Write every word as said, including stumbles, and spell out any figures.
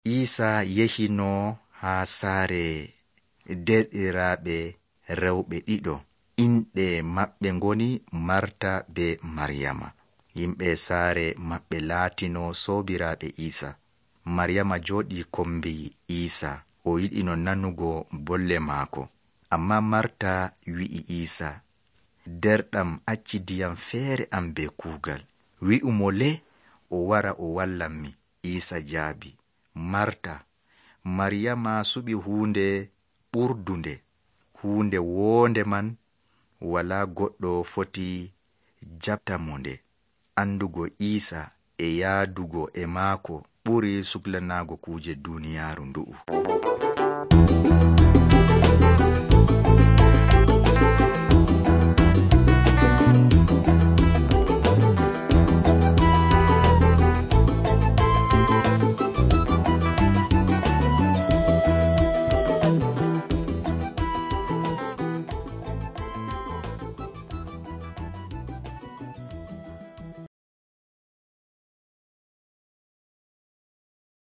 Iisa yehino haa saare derɗiraaɓe rewɓe ɗiɗo. Inɗe maɓɓe ngoni Marta be Maryama. Yimɓe saare maɓɓe laatino soobiraaɓe Iisa. Maryama jooɗii kombi Iisa, o yiɗino nanugo bolle maako. Amma Marta wi'i Iisa, derɗam acci ndiyam feere am be kuugal. Wi'u mo le o wara o wallan mi. Iisa jaabi, Marta, Maryama suɓi huunde ɓurdunde. Huunde woonde man walaa goɗɗo foti jaɓta mo nde. Andugo Iisa e yaadugo e maako ɓuri suklanaago kuuje duuniyaaru ndu'u.